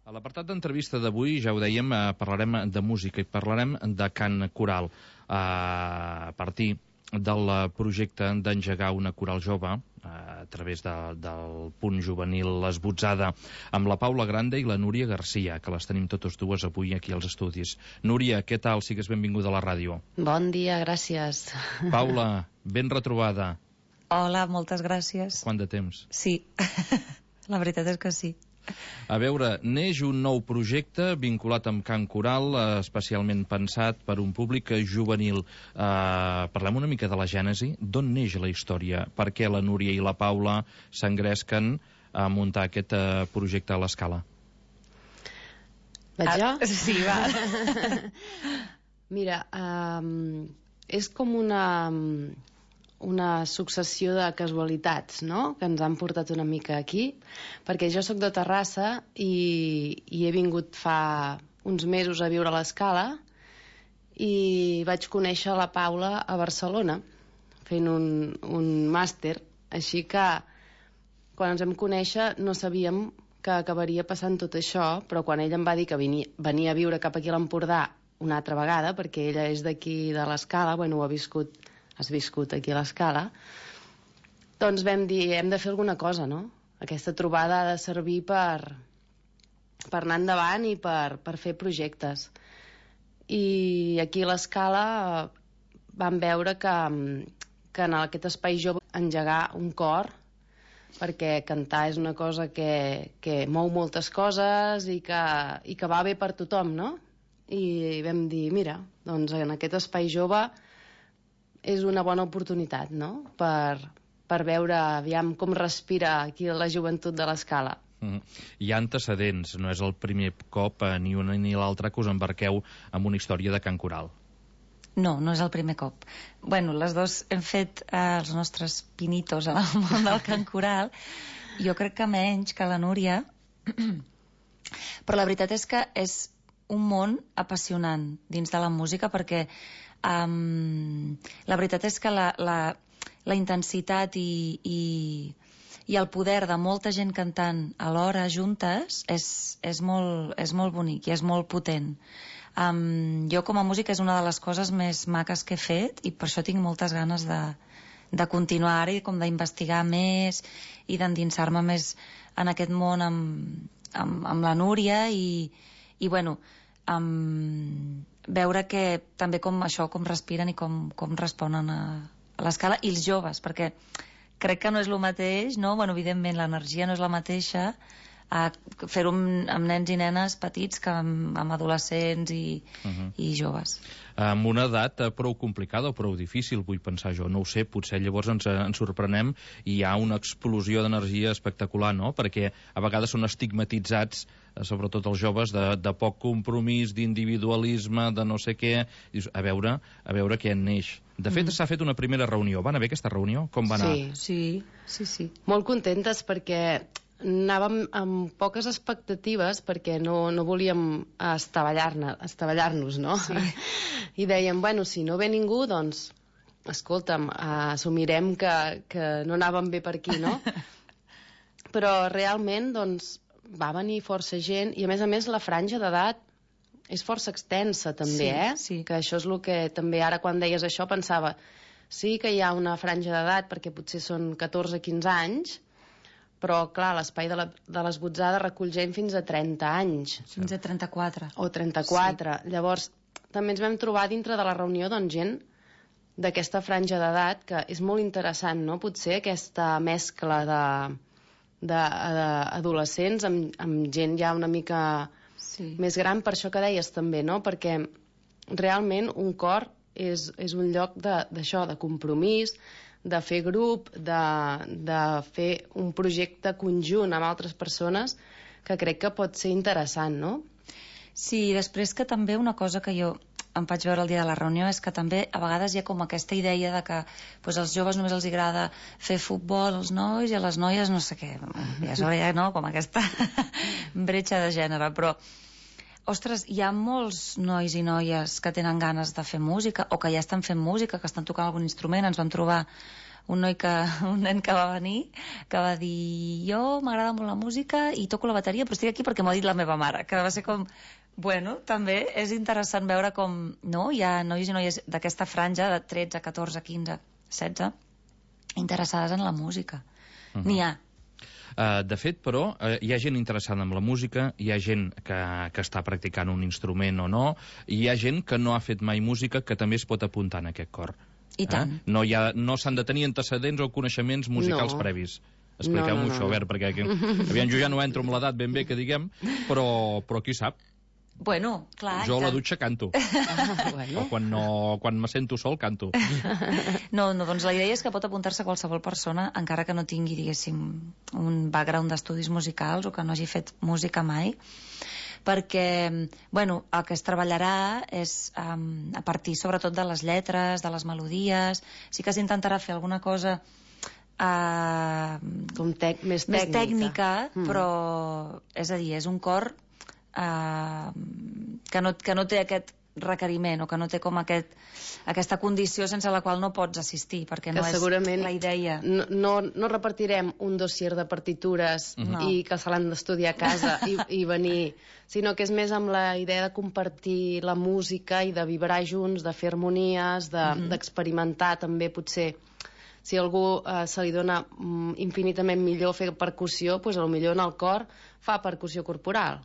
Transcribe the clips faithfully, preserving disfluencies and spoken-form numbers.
A l'apartat d'entrevista d'avui, ja ho dèiem, eh, parlarem de música i parlarem de cant coral. Eh, a partir del projecte d'engegar una coral jove, eh, a través de, del punt juvenil Esbotzada, amb la Paula Grande i la Núria Garcia, que les tenim totes dues avui aquí als estudis. Núria, què tal? Sigues benvinguda a la ràdio. Bon dia, gràcies. Paula, ben retrobada. Hola, moltes gràcies. Quant de temps? Sí, la veritat és que sí. A veure, neix un nou projecte vinculat amb cant coral, eh, especialment pensat per un públic juvenil. Eh, parlem una mica de la gènesi. D'on neix la història? Per què la Núria i la Paula s'engresquen a muntar aquest eh, projecte a l'Escala? Vaig jo? Ah, sí, va. Mira, um, és com una... una successió de casualitats, no?, que ens han portat una mica aquí, perquè jo sóc de Terrassa i, i he vingut fa uns mesos a viure a l'Escala i vaig conèixer la Paula a Barcelona fent un, un màster, així que quan ens vam conèixer no sabíem que acabaria passant tot això, però quan ella em va dir que venia, venia a viure cap aquí a l'Empordà una altra vegada, perquè ella és d'aquí de l'Escala, bueno, ho ha viscut has viscut aquí a l'Escala, doncs vam dir, hem de fer alguna cosa, no? Aquesta trobada ha de servir per, per anar endavant i per, per fer projectes. I aquí a l'Escala vam veure que, que en aquest espai jove engegar un cor, perquè cantar és una cosa que, que mou moltes coses i que, i que va bé per tothom, no? I vam dir, mira, doncs en aquest espai jove és una bona oportunitat, no?, per, per veure aviam com respira aquí la joventut de l'Escala. Mm. Hi ha antecedents, no és el primer cop, eh, ni una ni l'altra, que us embarqueu amb una història de cant coral. No, no és el primer cop. Bueno, les dos hem fet eh, els nostres pinitos en el món del cant coral. Jo crec que menys que la Núria, però la veritat és que és un món apassionant dins de la música, perquè Um, la veritat és que la, la, la intensitat i, i, i el poder de molta gent cantant alhora juntes és, és, molt, és molt bonic i és molt potent. Um, jo com a música és una de les coses més maques que he fet i per això tinc moltes ganes de, de continuar ara i com d'investigar més i d'endinsar-me més en aquest món amb, amb, amb la Núria i, i bueno, amb veure que també com això, com respiren i com, com responen a, a l'Escala, i els joves, perquè crec que no és el mateix, no? Bueno, evidentment l'energia no és la mateixa a fer-ho amb, amb nens i nenes petits que amb, amb adolescents i, uh -huh. i joves. Amb una edat prou complicada o prou difícil, vull pensar jo, no ho sé, potser llavors ens, ens sorprenem i hi ha una explosió d'energia espectacular, no?, perquè a vegades són estigmatitzats, sobretot els joves, de, de poc compromís, d'individualisme, de no sé què. Dius, a veure, a veure què en neix. De fet, mm. s'ha fet una primera reunió. Va anar bé aquesta reunió? Com va anar? Sí, sí, sí, sí. Molt contentes perquè anàvem amb poques expectatives perquè no, no volíem estavellar-nos, estavellar-nos, no? Sí. I dèiem, bueno, si no ve ningú, doncs, escolta'm, assumirem que, que no anàvem bé per aquí, no? Però realment, doncs, va venir força gent i, a més a més, la franja d'edat és força extensa, també, sí, eh? Sí. Que això és el que també ara, quan deies això, pensava, sí que hi ha una franja d'edat perquè potser són catorze quinze anys, però, clar, l'espai de, la, de l'Esbotzada recull gent fins a trenta anys. Fins a trenta-quatre. O trenta-quatre. Sí. Llavors, també ens vam trobar dintre de la reunió, doncs, gent d'aquesta franja d'edat, que és molt interessant, no?, potser aquesta mescla de, de, de adolescents amb, amb gent ja una mica sí. més gran, per això que deies també, no?, perquè realment un cor és, és un lloc d'això, de, de compromís, de fer grup, de, de fer un projecte conjunt amb altres persones, que crec que pot ser interessant, no? Sí, després que també una cosa que jo em vaig veure el dia de la reunió és que també a vegades hi ha com aquesta idea de que doncs, als joves només els agrada fer futbol, als nois, i a les noies no sé què, ja és hora ja, no?, com aquesta bretxa de gènere, però ostres, hi ha molts nois i noies que tenen ganes de fer música o que ja estan fent música, que estan tocant algun instrument. Ens vam trobar un noi que, un nen que va venir, que va dir jo m'agrada molt la música i toco la bateria, però estic aquí perquè m'ho ha dit la meva mare, que va ser com... Bueno, també és interessant veure com, no, hi ha nois i noies d'aquesta franja de tretze, catorze, quinze, setze, interessades en la música. Uh -huh. N'hi ha. Uh, de fet, però, uh, hi ha gent interessada en la música, hi ha gent que, que està practicant un instrument o no, i hi ha gent que no ha fet mai música que també es pot apuntar en aquest cor. I tant. Eh? No, hi ha, no s'han de tenir antecedents o coneixements musicals no. previs. Expliqueu-m'ho no, no, això, no. a veure, perquè aquí, aviam, jo ja no entro amb l'edat ben bé, que diguem, però, però qui sap? Bueno, clar. Jo a la dutxa canto. Ah, bueno. O quan, no, quan me sento sol canto. No, no, doncs la idea és que pot apuntar-se qualsevol persona, encara que no tingui, diguéssim, un background d'estudis musicals o que no hagi fet música mai, perquè, bueno, el que es treballarà és um, a partir sobretot de les lletres, de les melodies, sí que s'intentarà fer alguna cosa uh, Com tec més tècnica, més tècnica mm. però, és a dir, és un cor Uh, que, no, que no té aquest requeriment o que no té com aquest, aquesta condició sense la qual no pots assistir, perquè no és la idea. No, no, no repartirem un dossier de partitures no. i que se l'han d'estudiar a casa i, i venir, sinó que és més amb la idea de compartir la música i de vibrar junts, de fer harmonies, d'experimentar de, uh-huh. també potser. Si a algú eh, se li dona mm, infinitament millor fer percussió, doncs potser en el cor fa percussió corporal.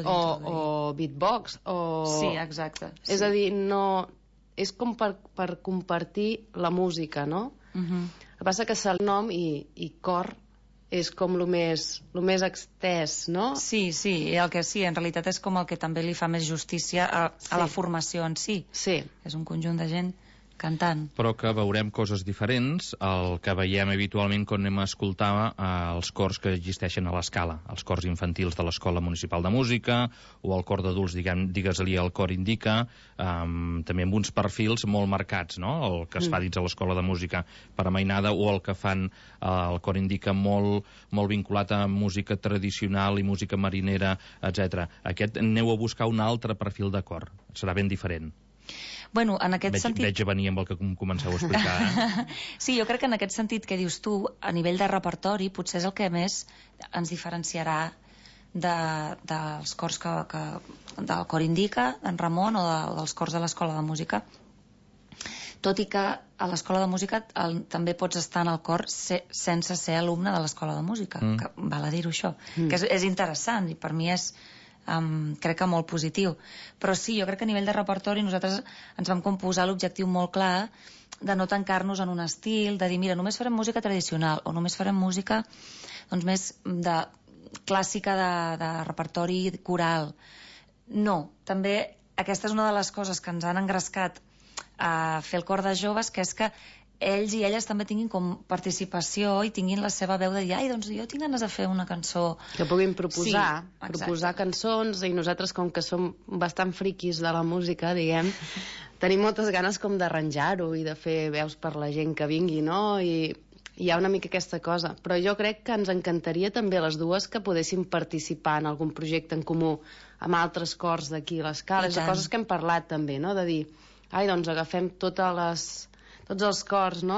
O, o beatbox o... Sí, exacte. Sí. És a dir, no... és com per, per compartir la música, no? Uh -huh. El que passa que el nom i, i cor és com el més, lo més extès, no? Sí, sí, el que sí, en realitat és com el que també li fa més justícia a, a sí. la formació en si. Sí. És un conjunt de gent cantant. Però que veurem coses diferents el que veiem habitualment quan anem a escoltar eh, els cors que existeixen a l'escala, els cors infantils de l'Escola Municipal de Música o el cor d'adults, digues-li el cor indica, eh, també amb uns perfils molt marcats, no? El que es fa dins a l'Escola de Música per a mainada o el que fan eh, el cor indica molt, molt vinculat a música tradicional i música marinera, etcètera. Aquest aneu a buscar un altre perfil de cor, serà ben diferent. Bueno, en aquest veig, sentit... Veig a venir amb el que comenceu a explicar. Eh? Sí, jo crec que en aquest sentit que dius tu, a nivell de repertori, potser és el que més ens diferenciarà de, dels cors que, que del cor indica, d'en Ramon, o de, dels cors de l'Escola de Música. Tot i que a l'Escola de Música el, també pots estar en el cor se, sense ser alumne de l'Escola de Música, mm. que val a dir-ho això, mm. que és, és interessant i per mi és... Um, crec que molt positiu, però sí, jo crec que a nivell de repertori nosaltres ens vam composar l'objectiu molt clar de no tancar-nos en un estil, de dir, mira, només farem música tradicional o només farem música doncs més de clàssica de, de repertori coral. No, també aquesta és una de les coses que ens han engrescat a fer el cor de joves, que és que ells i elles també tinguin com participació i tinguin la seva veu de dir, ai, doncs jo tinc ganes de fer una cançó. Que puguin proposar, sí, proposar cançons, i nosaltres, com que som bastant friquis de la música, diguem, tenim moltes ganes com d'arranjar-ho i de fer veus per la gent que vingui, no? I hi ha una mica aquesta cosa. Però jo crec que ens encantaria també les dues que podéssim participar en algun projecte en comú amb altres cors d'aquí a l'Escala. És de coses que hem parlat també, no? De dir, ai, doncs agafem totes les... tots els cors, no?,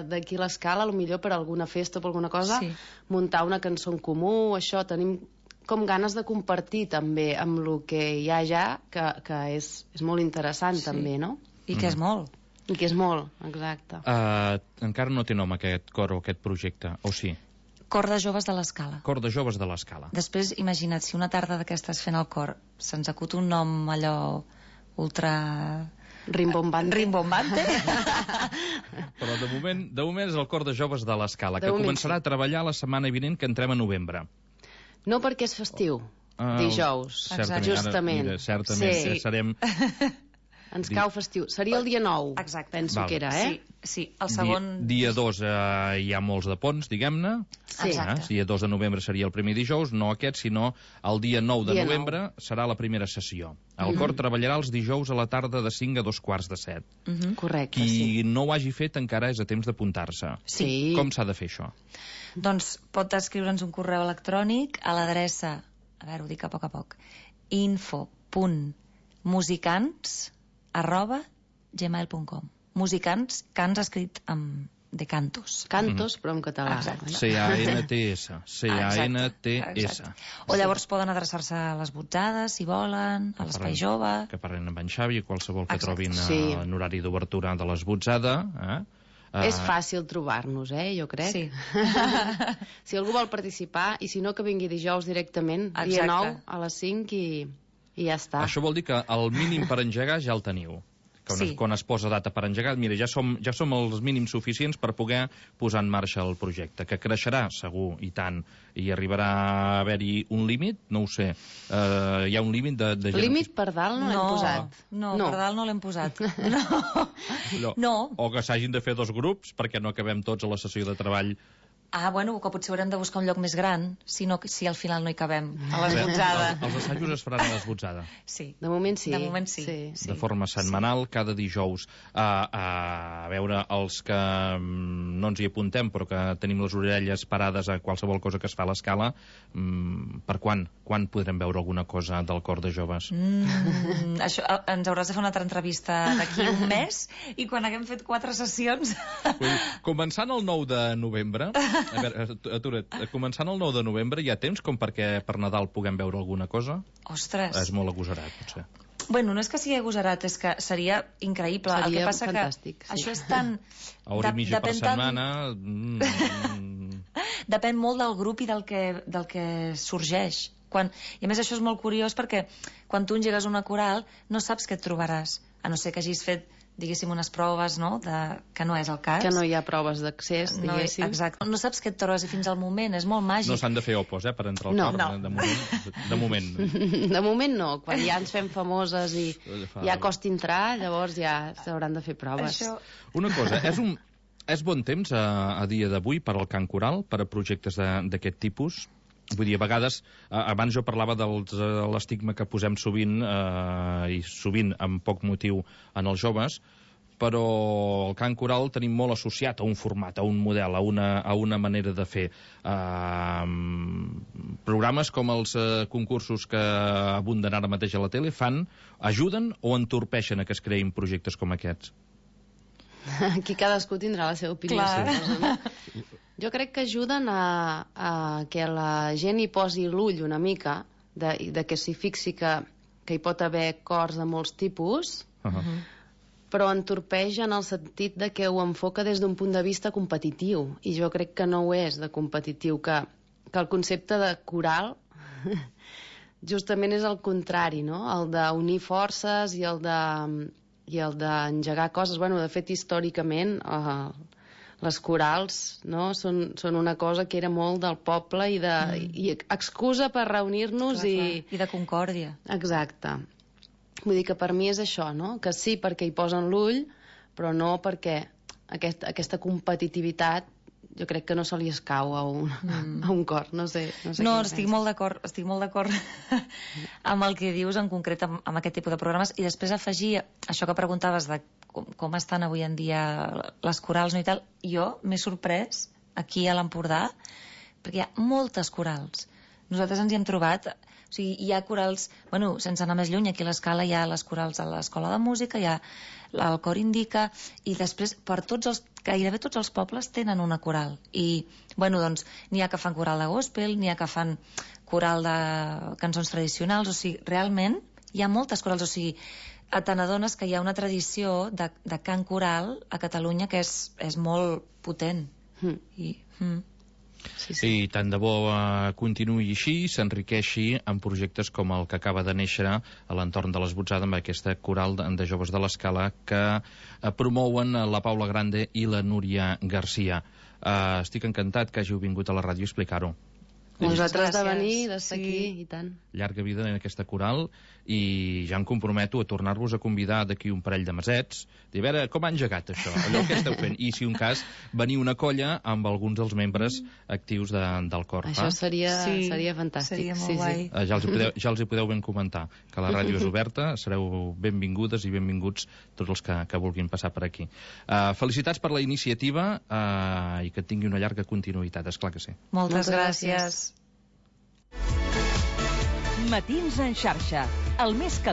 d'aquí a l'Escala, potser per alguna festa o per alguna cosa, sí. muntar una cançó en comú, això, tenim com ganes de compartir també amb el que hi ha ja, que, que és, és molt interessant sí. també, no? I que és molt. I que és molt, exacte. Uh, encara no té nom aquest cor o aquest projecte, o sí? Cor de joves de l'Escala. Cor de joves de l'Escala. Després, imagina't, si una tarda d'aquestes fent el cor se'ns acut un nom allò ultra... Rimbombante. Rimbombante. Però de moment, de moment és el cor de joves de l'Escala, que començarà sí. a treballar la setmana vinent, que entrem a novembre. No perquè és festiu, uh, dijous, certament, justament. Ara, mira, certament, sí. serem... Ens cau festiu. Seria el dia nou, exacte. penso Val. que era, eh? Sí, sí. El segon... Dia, dia dos eh, hi ha molts de ponts, diguem-ne. Sí. Exacte. Eh? Dia dos de novembre seria el primer dijous, no aquest, sinó el dia nou de dia novembre nou. Serà la primera sessió. El mm-hmm. cor treballarà els dijous a la tarda de cinc a dos quarts de set. Mm-hmm. Correcte, Qui sí. no ho hagi fet encara és a temps d'apuntar-se. Sí. Com s'ha de fer això? Doncs pot escriure'ns un correu electrònic a l'adreça, a veure, ho dic a poc a poc, info punt musicants arroba gmail punt com. Musicants, cants escrit amb, de cantos. Cantos, però en català. Exacte. C A N T S. C A N T S. O llavors poden adreçar-se a les botzades, si volen, a l'Espai Jove. Que parlen amb en Xavi, qualsevol que Exacte. trobin Sí. en horari d'obertura de les botzades. Eh? Uh, És fàcil trobar-nos, eh, jo crec. Sí. Si algú vol participar, i si no, que vingui dijous directament, dia Exacte. nou a les cinc i, i ja està. Això vol dir que el mínim per engegar ja el teniu. Que Sí. quan es posa data per engegar, mira, ja som, ja som els mínims suficients per poder posar en marxa el projecte, que creixerà, segur, i tant, i arribarà a haver-hi un límit, no ho sé. Uh, hi ha un límit de, de gent... Límit per dalt no, No, l'hem posat. no, per dalt no l'hem posat. No. No. No. O que s'hagin de fer dos grups perquè no acabem tots a la sessió de treball. Ah, bueno, que potser haurem de buscar un lloc més gran, si, no, si al final no hi cabem, a Bé, l'esbotzada. els, els assajos es faran a l'esbotzada. Sí. De moment sí. De moment sí. sí. Sí. De forma setmanal, cada dijous. A, a veure, els que mm, no ens hi apuntem, però que tenim les orelles parades a qualsevol cosa que es fa a l'escala, mm, per quan? Quan podrem veure alguna cosa del cor de joves? Mm, això, eh, ens hauràs de fer una altra entrevista d'aquí un mes i quan haguem fet quatre sessions... Vull dir, començant el nou de novembre, a veure, atura't, començant el nou de novembre hi ha temps com perquè per Nadal puguem veure alguna cosa? Ostres. És molt agosarat, potser. Bueno, no és que sigui agosarat, és que seria increïble. Seria El que passa fantàstic, que sí. això és tan... A hora i mitja per depèn tant- setmana... Mm, Depèn molt del grup i del que, del que sorgeix. Quan, I a més això és molt curiós perquè quan tu engegues una coral no saps què et trobaràs, a no ser que hagis fet, diguéssim, unes proves, no?, de, que no és el cas. Que no hi ha proves d'accés, No, diguéssim. exacte. No saps què et trobes i fins al moment, és molt màgic. no s'han de fer opos, eh, per entrar al No. cor, No. de moment. De moment. De moment no, quan ja ens fem famoses i Fa- ja costa entrar, llavors ja s'hauran de fer proves. Això... Una cosa, és un... És bon temps a, a dia d'avui per al cant coral, per a projectes de- d'aquest tipus? Vull dir, a vegades, eh, abans jo parlava de l'estigma que posem sovint, eh, i sovint amb poc motiu en els joves, però el cant coral el tenim molt associat a un format, a un model, a una, a una manera de fer. Uh, programes com els uh, concursos que abunden ara mateix a la tele fan, ajuden o entorpeixen a que es creïn projectes com aquests? Aquí cadascú tindrà la seva opinió. Clar. Suposo, no? Jo crec que ajuden a, a que la gent hi posi l'ull una mica, de, de que s'hi fixi que, que hi pot haver cors de molts tipus, Uh -huh. però entorpeix en el sentit de que ho enfoca des d'un punt de vista competitiu, i jo crec que no ho és de competitiu, que, que el concepte de coral justament és el contrari, no? El d'unir forces i el de i el d'engegar coses. Bueno, de fet, històricament, eh, les corals, no?, són, són una cosa que era molt del poble i, de, mm. i excusa per reunir-nos Clar, i... clar. I de concòrdia. Exacte. Vull dir que per mi és això, no?, que sí perquè hi posen l'ull, però no perquè aquest, aquesta competitivitat jo crec que no se li escau a un, mm. a un cor, no sé. No, sé No, què estic penses. molt d'acord, estic molt d'acord amb el que dius en concret amb, amb aquest tipus de programes, i després afegir això que preguntaves de com, com estan avui en dia les corals, no, i tal. Jo m'he sorprès aquí a l'Empordà perquè hi ha moltes corals. Nosaltres ens hi hem trobat, o sigui, hi ha corals, bueno, sense anar més lluny, aquí a l'Escala hi ha les corals a l'Escola de Música, hi ha el Cor Indica, i després per tots els, gairebé tots els pobles tenen una coral. I, bueno, doncs, n'hi ha que fan coral de gospel, n'hi ha que fan coral de cançons tradicionals, o sigui, realment hi ha moltes corals, o sigui, te n'adones que hi ha una tradició de, de cant coral a Catalunya que és, és molt potent. Mm. I, mm. Sí, sí. I tant de bo uh, continuï així, s'enriqueixi en projectes com el que acaba de néixer a l'entorn de l'Esbotzada amb aquesta coral de, de joves de l'Escala que uh, promouen la Paula Grande i la Núria Garcia. Uh, estic encantat que hàgiu vingut a la ràdio a explicar-ho. Vosaltres de Gràcies. venir, d'estar Sí. aquí, i tant. Llarga vida en aquesta coral, i ja em comprometo a tornar-vos a convidar d'aquí un parell de mesets, dir, a veure, com ha engegat això, allò que esteu fent, i si un cas, venir una colla amb alguns dels membres actius de, del cor. Això va? seria, Sí, seria fantàstic. seria molt sí, guai. Eh, Ja els, hi podeu, ja els hi podeu ben comentar que la ràdio és oberta, sereu benvingudes i benvinguts tots els que, que vulguin passar per aquí. Uh, felicitats per la iniciativa uh, i que tingui una llarga continuïtat, esclar que sí. Moltes, Moltes gràcies. gràcies. Matins en xarxa, el més calent